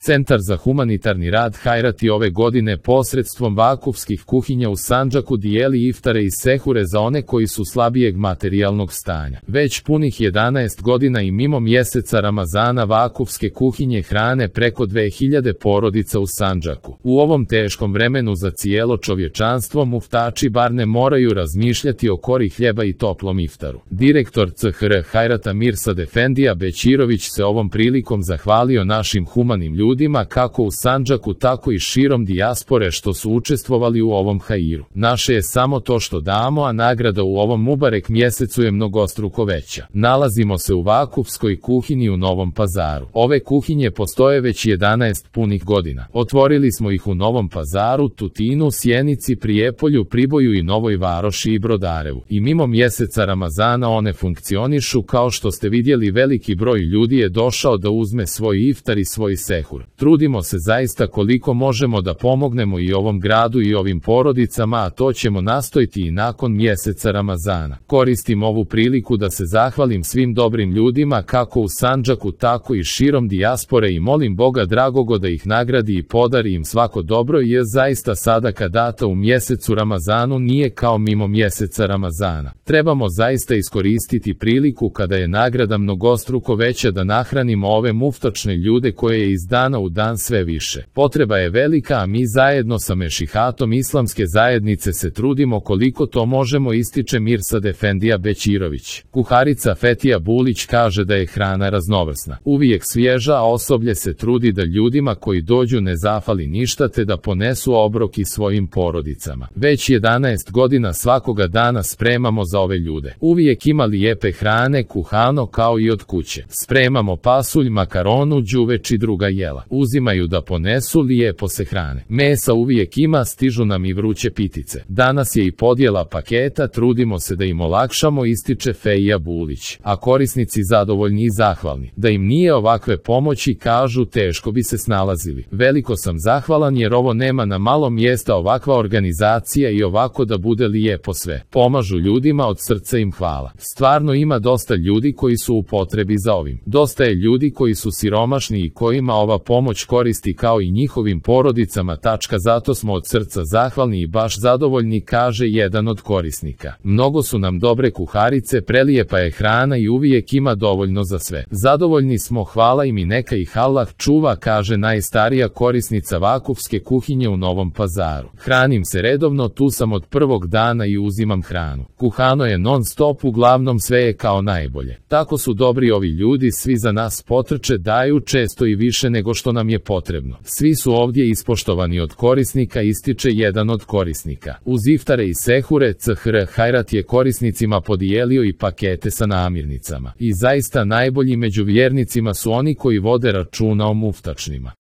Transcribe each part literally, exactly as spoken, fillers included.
Centar za humanitarni rad Hajrat je ove godine posredstvom vakufskih kuhinja u Sandžaku dijeli iftare i sehure za one koji su slabijeg materijalnog stanja. Već punih jedanaest godina i mimo mjeseca Ramazana vakufske kuhinje hrane preko dve hiljade porodica u Sandžaku. U ovom teškom vremenu za cijelo čovječanstvo muftači bar ne moraju razmišljati o kori hljeba i toplom iftaru. Direktor C H R Hajrata Mirsad Efendija Bećirović se ovom prilikom zahvalio našim humanim ljudima kako u Sandžaku tako i širom dijaspore što su učestvovali u ovom hairu. Naše je samo to što damo, a nagrada u ovom Mubarek mjesecu je mnogostruko veća. Nalazimo se u vakufskoj kuhinji u Novom Pazaru. Ove kuhinje postoje već jedanaest punih godina. Otvorili smo ih u Novom Pazaru, Tutinu, Sjenici, Prijepolju, Priboju i Novoj Varoši i Brodarevu. I mimo mjeseca Ramazana one funkcionišu, kao što ste vidjeli veliki broj ljudi je došao da uzme svoj iftar i svoj sehur. Trudimo se zaista koliko možemo da pomognemo i ovom gradu i ovim porodicama, a to ćemo nastojiti i nakon mjeseca Ramazana. Koristim ovu priliku da se zahvalim svim dobrim ljudima kako u Sandžaku tako i širom dijaspore i molim Boga dragoga da ih nagradi i podari im svako dobro, jer zaista sadaka data u mjesecu Ramazanu nije kao mimo mjeseca Ramazana. Trebamo zaista iskoristiti priliku kada je nagrada mnogostruko veća da nahranimo ove muftačne ljude koje je iz dana u dan sve više. Potreba je velika, a mi zajedno sa mešihatom islamske zajednice se trudimo koliko to možemo, ističe Mirsad Efendija Bećirović. Kuharica Fetija Bulić kaže da je hrana raznovrsna, uvijek svježa, a osoblje se trudi da ljudima koji dođu ne zafali ništa te da ponesu obrok i svojim porodicama. Već jedanaest godina svakoga dana spremamo za ove ljude. Uvijek ima lijepe hrane, kuhano kao i od kuće. Spremamo pasulj, makaronu, đuveč i druga jela. Uzimaju da ponesu, lijepo se hrane. Mesa uvijek ima, stižu nam i vruće pitice. Danas je i podjela paketa, trudimo se da im olakšamo, ističe Fejija Bulić. A korisnici zadovoljni i zahvalni. Da im nije ovakve pomoći, kažu, teško bi se snalazili. Veliko sam zahvalan jer ovo nema na malo mjesta ovakva organizacija i ovako da bude lijepo sve. Pomažu ljudima, od srca im hvala. Stvarno ima dosta ljudi koji su u potrebi za ovim. Dosta je ljudi koji su siromašni i kojima ova pomoć koristi kao i njihovim porodicama. Tačka, zato smo od srca zahvalni i baš zadovoljni, kaže jedan od korisnika. Mnogo su nam dobre kuharice, prelijepa je hrana i uvijek ima dovoljno za sve. Zadovoljni smo, hvala im i neka ih Allah čuva, kaže najstarija korisnica vakufske kuhinje u Novom Pazaru. Hranim se redovno, tu sam od prvog dana i uzimam hranu. Kuhano je non stop, uglavnom sve je kao najbolje. Tako su dobri ovi ljudi, svi za nas potrče, daju često i više nego što nam je potrebno. Svi su ovdje ispoštovani od korisnika, ističe jedan od korisnika. Uz iftare i sehure C H R Hajrat je korisnicima podijelio i pakete sa namirnicama. I zaista najbolji među vjernicima su oni koji vode računa o muftačnima.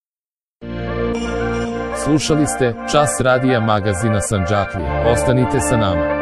Slušali ste Čas radija magazina Sandžaklija. Ostanite sa nama.